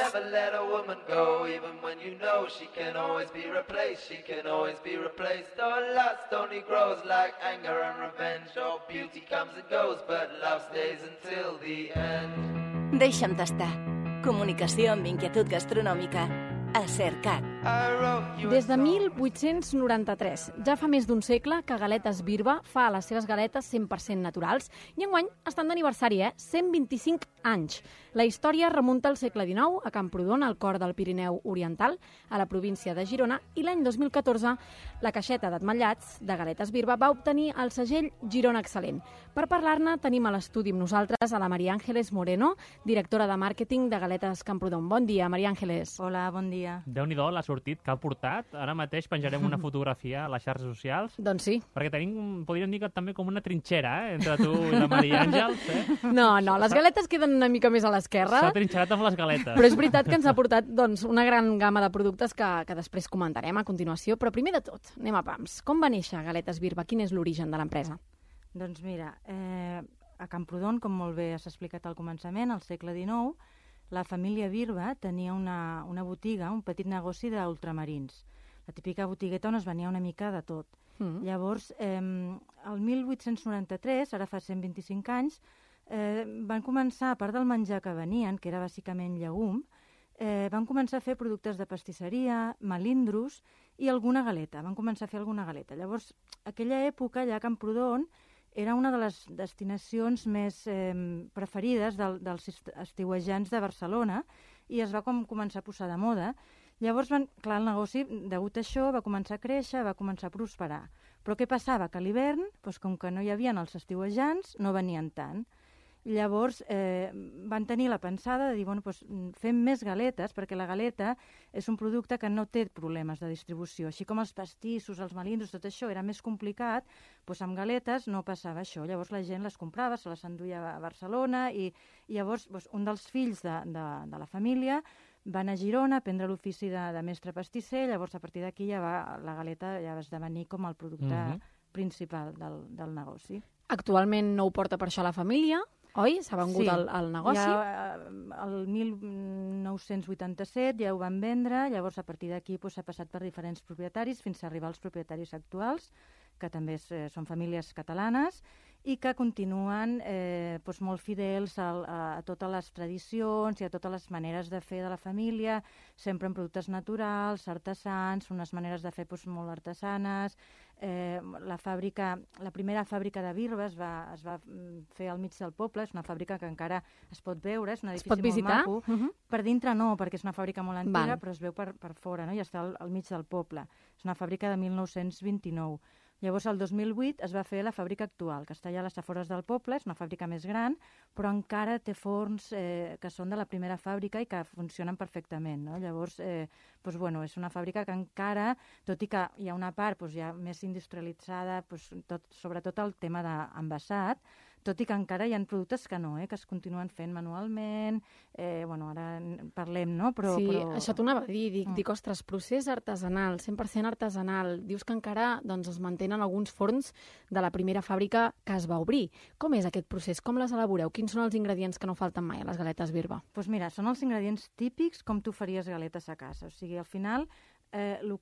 never let a woman go, even when you know she can always be replaced, she can always be replaced. Though lust only grows like anger and revenge, oh, beauty comes and goes, but love stays until the end. Deixa'm tastar. Comunicació amb inquietud gastronòmica a Cercat. Des de 1893, ja fa més d'un segle que Galetes Birba fa les seves galetes 100% naturals i enguany estan d'aniversari, 125 anys. La història remunta al segle XIX a Camprodon, al cor del Pirineu Oriental, a la província de Girona, i l'any 2014 la caixeta d'ametllats de Galetes Birba va obtenir el segell Girona Excel·lent. Per parlar-ne tenim a l'estudi amb nosaltres a la Maria Ángeles Moreno, directora de màrqueting de Galetes Camprodon. Bon dia, Maria Ángeles. Hola, bon dia. Déu-n'hi-do l'ha sortit que ha portat. Ara mateix penjarem una fotografia a les xarxes socials. Doncs sí. Perquè tenim, podríem dir que també com una trinxera, entre tu i la Maria Àngels. No, les galetes queden una mica més a l'esquerra. S'ha trinxerat amb les galetes. Però és veritat que ens ha portat una gran gamma de productes que després comentarem a continuació. Però primer de tot, anem a pams. Com va néixer Galetes Birba? Quin és l'origen de l'empresa? Doncs mira, a Camprodon, com molt bé s'ha explicat al començament, al segle XIX, la família Birba tenia una botiga, un petit negoci d'ultramarins. La típica botigueta on es venia una mica de tot. Llavors, el 1893, ara fa 125 anys, van començar, a part del menjar que venien, que era bàsicament llegum, van començar a fer productes de pastisseria, melindros i alguna galeta. Van començar a fer alguna galeta. Llavors, aquella època, allà a Camprodon, era una de les destinacions més preferides dels estiuejants de Barcelona i es va començar a posar de moda. Llavors, el negoci, degut a això, va començar a créixer, va començar a prosperar. Però què passava? Que a l'hivern, com que no hi havia els estiuejants, no venien tant. Llavors van tenir la pensada de dir, fem més galetes, perquè la galeta és un producte que no té problemes de distribució. Així com els pastissos, els melindros, tot això era més complicat, amb galetes no passava això. Llavors la gent les comprava, se les enduia a Barcelona i llavors un dels fills de la família va anar a Girona a prendre l'ofici de mestre pastisser. Llavors a partir d'aquí la galeta ja va esdevenir com el producte principal del negoci. Actualment no ho porta per això la família, oi? S'ha vengut al negoci? Ja el 1987 ja ho van vendre, llavors a partir d'aquí s'ha passat per diferents propietaris fins a arribar als propietaris actuals, que també són famílies catalanes i que continuen molt fidels a totes les tradicions i a totes les maneres de fer de la família, sempre amb productes naturals, artesans, unes maneres de fer molt artesanes. La primera fàbrica de birba es va fer al mig del poble, és una fàbrica que encara es pot veure, és un edifici molt maco. Per dintre no, perquè és una fàbrica molt antiga, però es veu per fora, i està al mig del poble. És una fàbrica de 1929. Llavors, el 2008 es va fer la fàbrica actual, que està allà a les afores del poble, és una fàbrica més gran, però encara té forns que són de la primera fàbrica i que funcionen perfectament. Llavors, és una fàbrica que encara, tot i que hi ha una part ja més industrialitzada, sobretot el tema d'envasat, tot i que encara hi ha productes que no, que es continuen fent manualment. Ara parlem, no? Sí, això t'ho anava a dir. Dic, ostres, procés artesanal, 100% artesanal. Dius que encara es mantenen alguns forns de la primera fàbrica que es va obrir. Com és aquest procés? Com les elaboreu? Quins són els ingredients que no falten mai a les galetes Birba? Doncs mira, són els ingredients típics com tu faries galetes a casa. O sigui, al final, el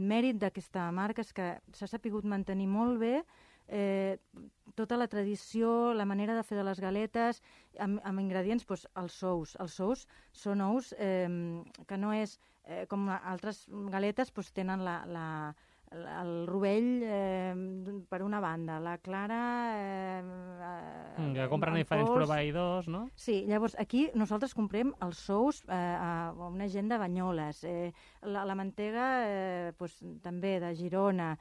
mèrit d'aquesta marca és que s'ha sapigut mantenir molt bé tota la tradició, la manera de fer de les galetes, amb ingredients, els ous. Els ous són ous que no és com altres galetes, tenen el rovell per una banda, la clara... que compren diferents proveïdors, no? Sí, llavors aquí nosaltres comprem els ous a una gent de Banyoles, la mantega també de Girona,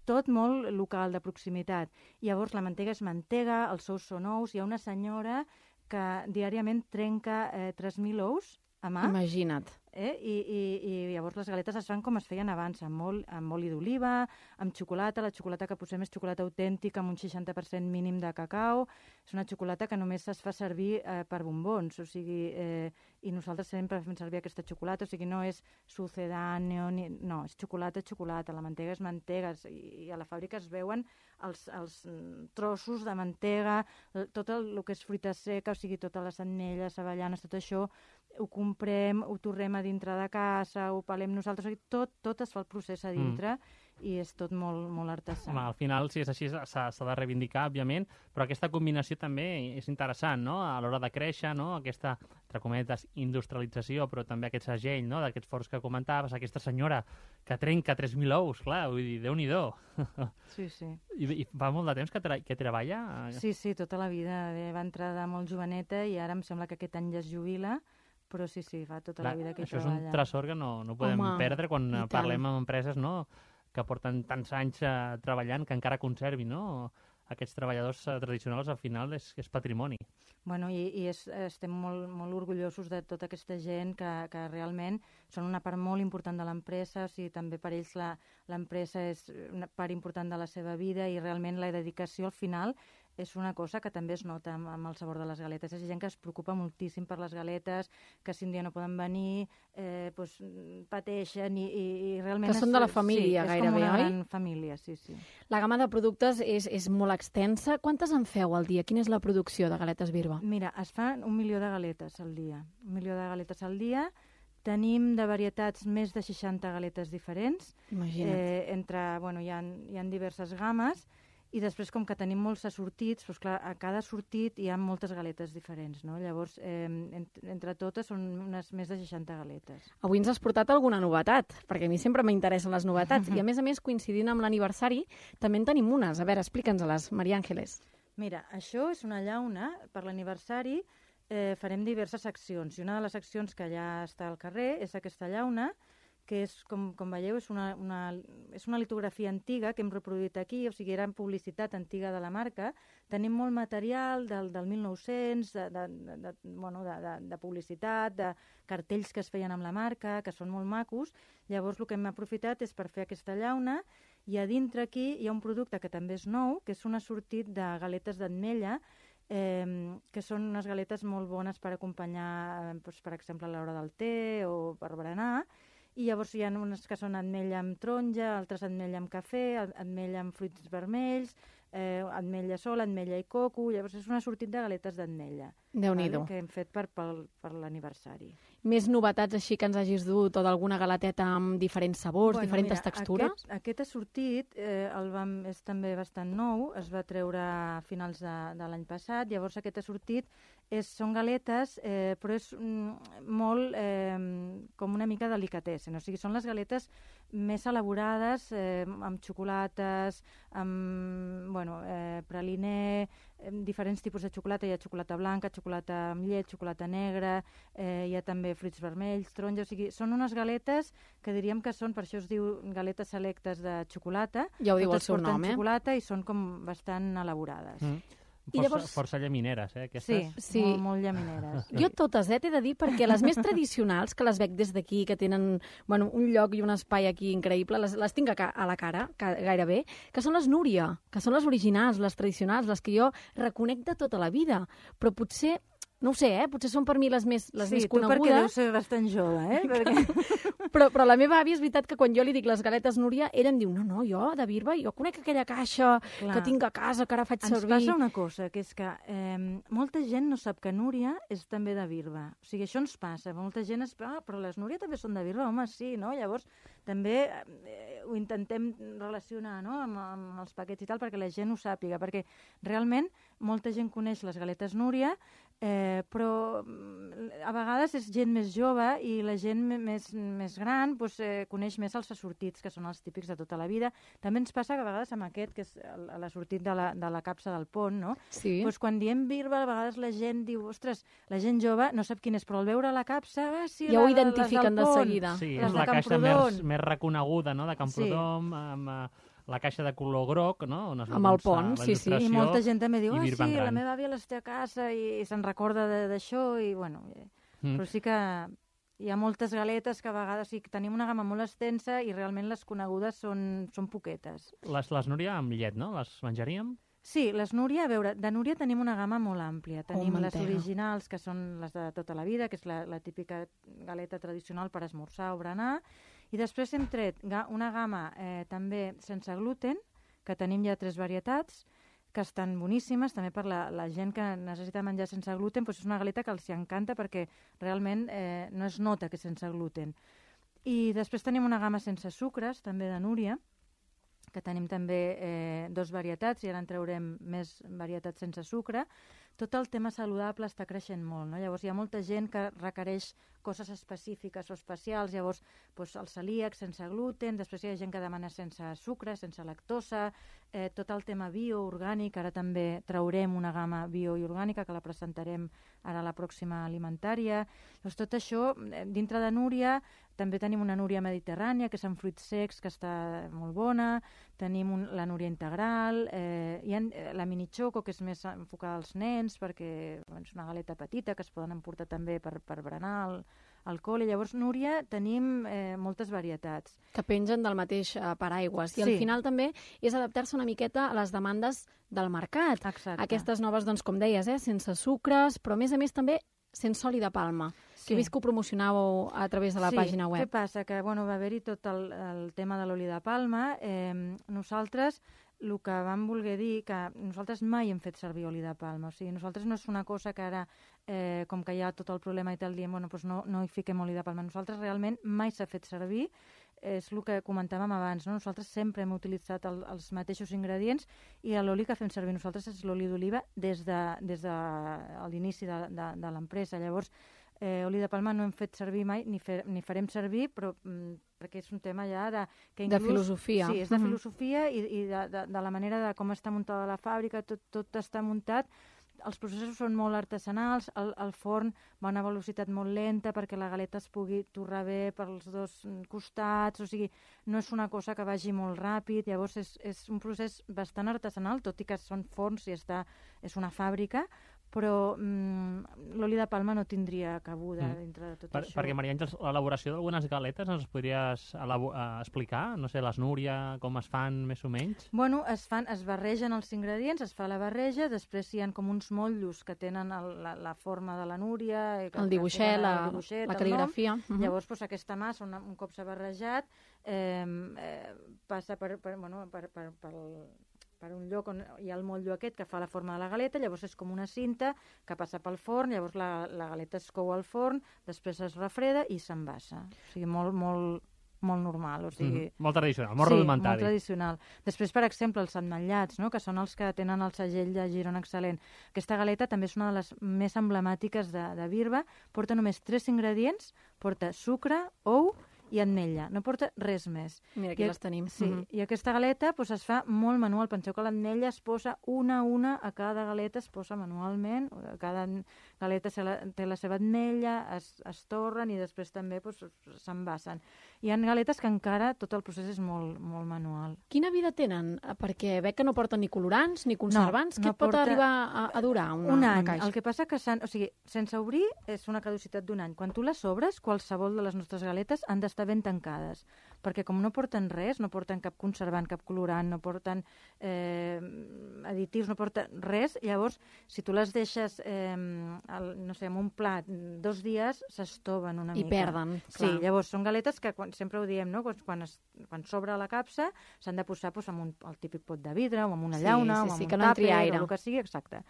tot molt local, de proximitat. Llavors la mantega és mantega, els ous són ous, hi ha una senyora que diàriament trenca 3.000 ous a mà. Imagina't. I llavors les galetes es fan com es feien abans, amb oli d'oliva, amb xocolata. La xocolata que posem és xocolata autèntica amb un 60% mínim de cacau. És una xocolata que només es fa servir per bombons, o sigui, i nosaltres sempre fem servir aquesta xocolata, o sigui, no és sucedáneo, no, és xocolata, la mantega és mantega, i a la fàbrica es veuen els trossos de mantega, tot el que és fruita seca, o sigui, totes les ametlles, avellanes, tot això, ho comprem, ho torrem a dintre de casa, ho pelem nosaltres, o sigui, tot es fa el procés a dintre i és tot molt, molt artesà. Home, al final, si és així, s'ha de reivindicar, òbviament, però aquesta combinació també és interessant, no?, a l'hora de créixer, no?, aquesta, entre cometes, industrialització, però també aquest segell, no?, d'aquests forns que comentaves, aquesta senyora que trenca 3.000 ous, clar, vull dir, Déu-n'hi-do. Sí, sí. I fa molt de temps que treballa? Sí, tota la vida. Va entrar de molt joveneta i ara em sembla que aquest any ja es jubila, però sí, fa tota la vida que hi treballa. Això és un tresor que no podem perdre quan parlem amb empreses, no?, que porten tants anys treballant, que encara conservin, no?, aquests treballadors tradicionals, al final és patrimoni. Bueno, i estem molt orgullosos de tota aquesta gent que realment són una part molt important de l'empresa, o sigui, també per ells l'empresa és una part important de la seva vida i realment la dedicació al final és una cosa que també es nota amb el sabor de les galetes. És gent que es preocupa moltíssim per les galetes, que si un dia no poden venir, pateixen i realment... Que són de la família, gairebé, oi? És com una gran família, sí. La gamma de productes és molt extensa. Quantes en feu al dia? Quina és la producció de galetes Birba? Mira, es fan 1 milió de galetes al dia. 1 milió de galetes al dia. Tenim de varietats més de 60 galetes diferents. Imagina't. Hi ha diverses games. I després, com que tenim molts assortits, doncs clar, a cada assortit hi ha moltes galetes diferents, no? Llavors, entre totes són unes més de 60 galetes. Avui ens has portat alguna novetat, perquè a mi sempre m'interessen les novetats. I a més, coincidint amb l'aniversari, també en tenim unes. A veure, explica'ns-les, Maria Àngeles. Mira, això és una llauna. Per l'aniversari farem diverses seccions. I una de les seccions que ja està al carrer és aquesta llauna, que és, com veieu, és una litografia antiga que hem reproduït aquí, o sigui, era publicitat antiga de la marca. Tenim molt material del 1900, de publicitat, de cartells que es feien amb la marca, que són molt macos. Llavors, el que hem aprofitat és per fer aquesta llauna, i a dintre aquí hi ha un producte que també és nou, que és un assortit de galetes d'ametlla, que són unes galetes molt bones per acompanyar, per exemple, a l'hora del te o per berenar. I llavors hi ha unes que són ametlla amb taronja, altres ametlla amb cafè, ametlla amb fruits vermells, ametlla sola, ametlla i coco. Llavors és un assortit de galetes d'ametlla. Déu-n'hi-do. Que hem fet per l'aniversari. Més novetats així que ens hagis dut, o d'alguna galeteta amb diferents sabors, diferents textures? Aquest assortit és també bastant nou, es va treure a finals de l'any passat. Llavors aquest assortit són galetes, però és molt com una mica delicatessen. O sigui, són les galetes més elaborades, amb xocolates, amb praliné, diferents tipus de xocolata. Hi ha xocolata blanca, xocolata amb llet, xocolata negra, hi ha també fruits vermells, taronja. O sigui, són unes galetes que diríem que són, per això es diu galetes selectes de xocolata. Ja ho diu el seu nom, xocolata i són com bastant elaborades. Força llamineres, aquestes. Sí, molt llamineres. Jo totes, t'he de dir, perquè les més tradicionals, que les veig des d'aquí, que tenen un lloc i un espai aquí increïble, les tinc a la cara, gairebé, que són les Núria, que són les originals, les tradicionals, les que jo reconec de tota la vida. Però potser, no ho sé, potser són per mi les més conegudes. Sí, tu perquè deus ser bastant jove, Però la meva àvia, és veritat que quan jo li dic les galetes Núria, ella em diu, no, jo, de Birba, jo conec aquella caixa que tinc a casa, que ara faig servir. Ens passa una cosa, que és que molta gent no sap que Núria és també de Birba. O sigui, això ens passa. Molta gent però les Núria també són de Birba? Home, sí, no? Llavors, també ho intentem relacionar, no?, amb els paquets i tal, perquè la gent ho sàpiga, perquè realment molta gent coneix les galetes Núria, però a vegades és gent més jove i la gent més gran coneix més els assortits, que són els típics de tota la vida. També ens passa que a vegades amb aquest, que és l'assortit de la capsa del pont, no? Sí. Quan diem Birba, a vegades la gent diu, ostres, la gent jove no sap quin és, però al veure la capsa, sí, ja ho identifiquen de seguida. Sí, és la caixa més reconeguda, no?, de Camprodon, amb la caixa de color groc, no? Amb el pont, sí. I molta gent també diu, sí, la meva àvia les té a casa i se'n recorda d'això, i però sí que hi ha moltes galetes que a vegades tenim una gamma molt extensa i realment les conegudes són poquetes. Les Núria amb llet, no? Les menjaríem? Sí, les Núria, a veure, de Núria tenim una gamma molt àmplia. Tenim les originals, que són les de tota la vida, que és la típica galeta tradicional per esmorzar o berenar, i després hem tret una gamma també sense gluten, que tenim ja 3 varietats, que estan boníssimes, també per la gent que necessita menjar sense gluten, doncs és una galeta que els encanta perquè realment no es nota que és sense gluten. I després tenim una gamma sense sucres, també de Núria, que tenim també 2 varietats, i ara en traurem més varietats sense sucre. Tot el tema saludable està creixent molt, no? Llavors hi ha molta gent que requereix coses específiques o especials, llavors el celíac sense gluten, després hi ha gent que demana sense sucre, sense lactosa, tot el tema bio, orgànic, ara també traurem una gamma bio i orgànica que la presentarem ara a la pròxima alimentària. Doncs tot això, dintre de Núria, també tenim una Núria mediterrània, que és amb fruits secs, que està molt bona, tenim la Núria integral, hi ha la mini choco, que és més enfocada als nens, perquè és una galeta petita que es poden emportar també per berenar al col·le. Llavors, Núria, tenim moltes varietats. Que pengen del mateix paraigües. I al final també és adaptar-se una miqueta a les demandes del mercat. Exacte. Aquestes noves, doncs, com deies, sense sucres, però a més també sense oli de palma. Sí. Que he vist que ho promocionàveu a través de la pàgina web. Què passa? Que va haver-hi tot el tema de l'oli de palma. Nosaltres el que vam voler dir, que nosaltres mai hem fet servir oli de palma. O sigui, nosaltres no és una cosa que ara, com que hi ha tot el problema i tal, diem, no hi fiquem oli de palma. Nosaltres realment mai s'ha fet servir. És el que comentàvem abans, no? Nosaltres sempre hem utilitzat els mateixos ingredients i l'oli que fem servir nosaltres és l'oli d'oliva des de l'inici de l'empresa. Llavors, oli de palma no hem fet servir mai, ni farem servir, però perquè és un tema ja de filosofia. Sí, és de filosofia i de la manera de com està muntada la fàbrica, tot està muntat. Els processos són molt artesanals, el forn va a una velocitat molt lenta perquè la galeta es pugui torrar bé pels 2 costats, o sigui, no és una cosa que vagi molt ràpid, llavors és un procés bastant artesanal, tot i que són forns i és una fàbrica, però l'oli de palma no tindria cabuda dintre de tot això. Perquè, Maria Àngels, l'elaboració d'algunes galetes ens podries explicar? No sé, les Núria, com es fan més o menys? Bueno, es barregen els ingredients, es fa la barreja, després hi ha com uns motllos que tenen la forma de la Núria, el dibuixet, la cal·ligrafia. Llavors, aquesta massa, un cop s'ha barrejat, passa per un lloc on hi ha el motllo aquest que fa la forma de la galeta, llavors és com una cinta que passa pel forn, llavors la galeta es cou al forn, després es refreda i s'envassa. O sigui, molt normal. O sigui... Molt tradicional, molt rudimentari. Sí, molt tradicional. Després, per exemple, els ametllats, no? Que són els que tenen el segell de Girona Excel·lent. Aquesta galeta també és una de les més emblemàtiques de Birba. Porta només 3 ingredients, porta sucre, ou i ametlla, no porta res més. Mira, aquí les tenim. Sí, i aquesta galeta es fa molt manual. Penseu que l'ametlla es posa una a una a cada galeta, es posa manualment, cada galeta té la seva ametlla, es torren i després també s'envasen. Hi ha galetes que encara tot el procés és molt, molt manual. Quina vida tenen? Perquè veig que no porten ni colorants ni conservants. Què pot arribar a durar una caixa? El que passa que sense obrir és una caducitat d'1 any. Quan tu les obres, qualsevol de les nostres galetes han d'estar ben tancades, perquè com no porten res, no porten cap conservant, cap colorant, no porten additius, no porten res, llavors, si tu les deixes en un plat 2 dies, s'estoven una mica. I perden, clar. Sí, llavors són galetes que sempre ho diem, no? Quan s'obre la capsa s'han de posar amb el típic pot de vidre, o amb una llauna, o amb un tàper, o el que sigui, exacte.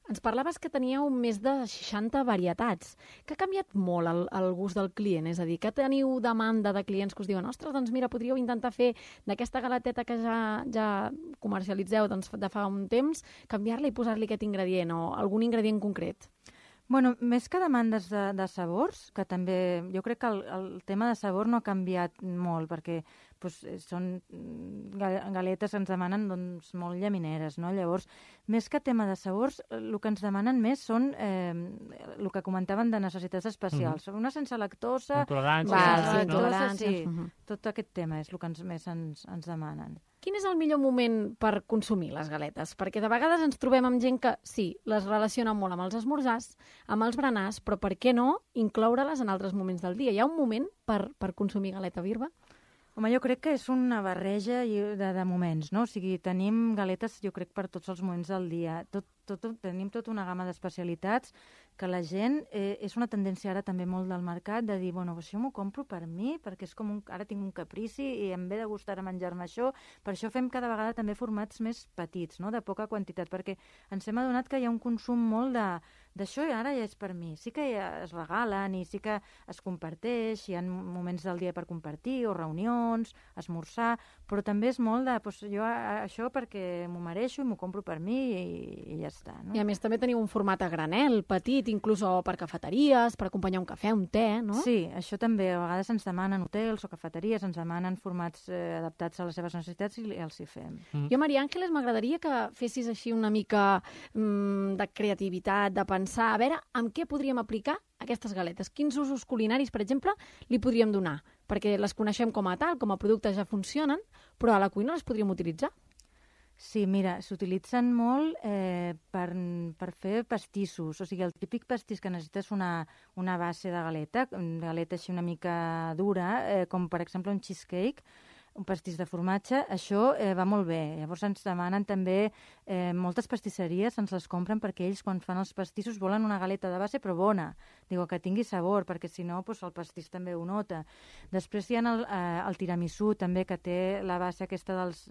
Ens parlaves que teníeu més de 60 varietats. Que ha canviat molt el gust del client? És a dir, que teniu demanda de clients que us diuen ostres, doncs mira, podríeu intentar fer d'aquesta galeteta que ja comercialitzeu de fa un temps, canviar-la i posar-li aquest ingredient o algun ingredient concret? Bueno, més que demandes de sabors, que també jo crec que el tema de sabor no ha canviat molt, perquè són galetes que ens demanen molt llamineres, no? Llavors, més que tema de sabors, el que ens demanen més són el que comentaven de necessitats especials. Una sense lactosa... Intolerància, sí. Tot aquest tema és el que més ens demanen. Quin és el millor moment per consumir les galetes? Perquè de vegades ens trobem amb gent que, sí, les relaciona molt amb els esmorzars, amb els berenars, però per què no incloure-les en altres moments del dia? Hi ha un moment per consumir galeta Birba? Home, jo crec que és una barreja de moments, no? O sigui, tenim galetes, jo crec, per tots els moments del dia. Tenim tota una gamma d'especialitats que la gent, és una tendència ara també molt del mercat de dir, bueno, això m'ho compro per mi, perquè és com ara tinc un caprici i em ve de gustar a menjar-me això, per això fem cada vegada també formats més petits, no?, de poca quantitat, perquè ens hem adonat que hi ha un consum molt d'això i ara ja és per mi. Sí que ja es regalen i sí que es comparteix, hi ha moments del dia per compartir o reunions, esmorzar, però també és molt de, doncs, jo això perquè m'ho mereixo i m'ho compro per mi i ja està. No? I a més també teniu un format a granel, petit, inclús per cafeteries, per acompanyar un cafè, un te, no? Sí, això també. A vegades ens demanen hotels o cafeteries, ens demanen formats adaptats a les seves necessitats i els hi fem. Jo, Maria Àngeles, m'agradaria que fessis així una mica de creativitat, de pensar, a veure, amb què podríem aplicar aquestes galetes? Quins usos culinaris, per exemple, li podríem donar? Perquè les coneixem com a tal, com a productes ja funcionen, però a la cuina les podríem utilitzar. Sí, mira, s'utilitzen molt per fer pastissos. O sigui, el típic pastís que necessites una base de galeta així una mica dura, com per exemple un cheesecake, un pastís de formatge, això va molt bé. Llavors ens demanen també, moltes pastisseries ens les compren perquè ells quan fan els pastissos volen una galeta de base però bona, digo, que tingui sabor, perquè si no doncs el pastís també ho nota. Després hi ha el tiramisú també, que té la base aquesta dels,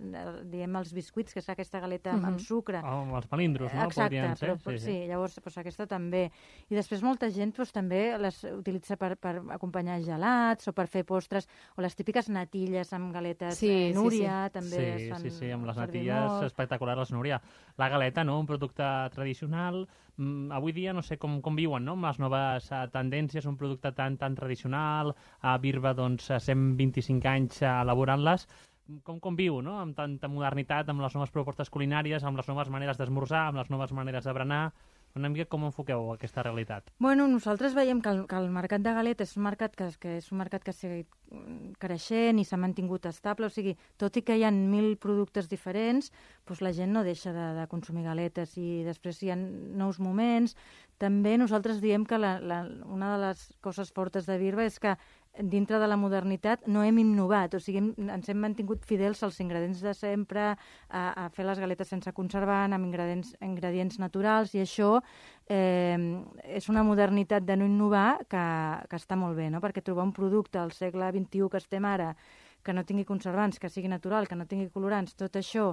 diem, els biscuits, que és aquesta galeta amb sucre. Amb els palindros, no? Exacte, ser. Però, sí, llavors doncs, aquesta també. I després molta gent doncs, també les utilitza per acompanyar gelats o per fer postres, o les típiques natilles amb galetes Núria, també es fan sí, amb les natilles espectaculars, les Núria. La galeta, no?, un producte tradicional. Avui dia no sé com viuen, no?, amb les noves tendències, un producte tan tradicional, a Birba, doncs, 125 anys elaborant-les. Com viu, no?, amb tanta modernitat, amb les noves propostes culinàries, amb les noves maneres d'esmorzar, amb les noves maneres de berenar. Una mica com enfoqueu aquesta realitat? Bueno, nosaltres veiem que el mercat de galetes és un mercat que és un mercat que s'ha creixent i s'ha mantingut estable, o sigui, tot i que hi ha 1.000 productes diferents, doncs la gent no deixa de consumir galetes i després hi ha nous moments. També nosaltres diem que una de les coses fortes de Birba és que dintre de la modernitat no hem innovat, o sigui, ens hem mantingut fidels als ingredients de sempre, a fer les galetes sense conservant, amb ingredients naturals, i això és una modernitat de no innovar que està molt bé, no? Perquè trobar un producte al segle XXI que estem ara, que no tingui conservants, que sigui natural, que no tingui colorants, tot això,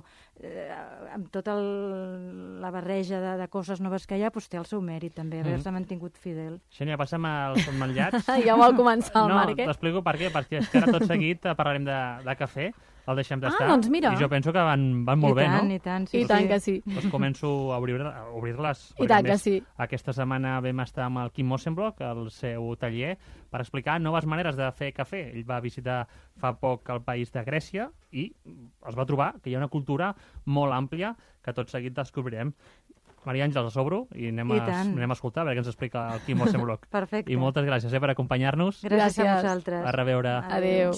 amb tota la barreja de coses noves que hi ha, doncs té el seu mèrit també, haver-se mantingut fidel. Xènia, passa'm als sotmallats. Ja vol començar el Marc, t'explico per què, perquè és que ara tot seguit parlarem de cafè, el deixem d'estar, doncs mira. I jo penso que van molt bé, no? I tant, sí. I tant que sí. Doncs començo a obrir-les. I tant que sí. Aquesta setmana vam estar amb el Quim Mossenbrock, al seu taller, per explicar noves maneres de fer cafè. Ell va visitar fa poc el país de Grècia i es va trobar que hi ha una cultura molt àmplia que tot seguit descobrirem. Maria Àngels, a sobre, i anem a escoltar a veure què ens explica el Quim Mossenbrock. Perfecte. I moltes gràcies per acompanyar-nos. Gràcies a vosaltres. A reveure. Adéu.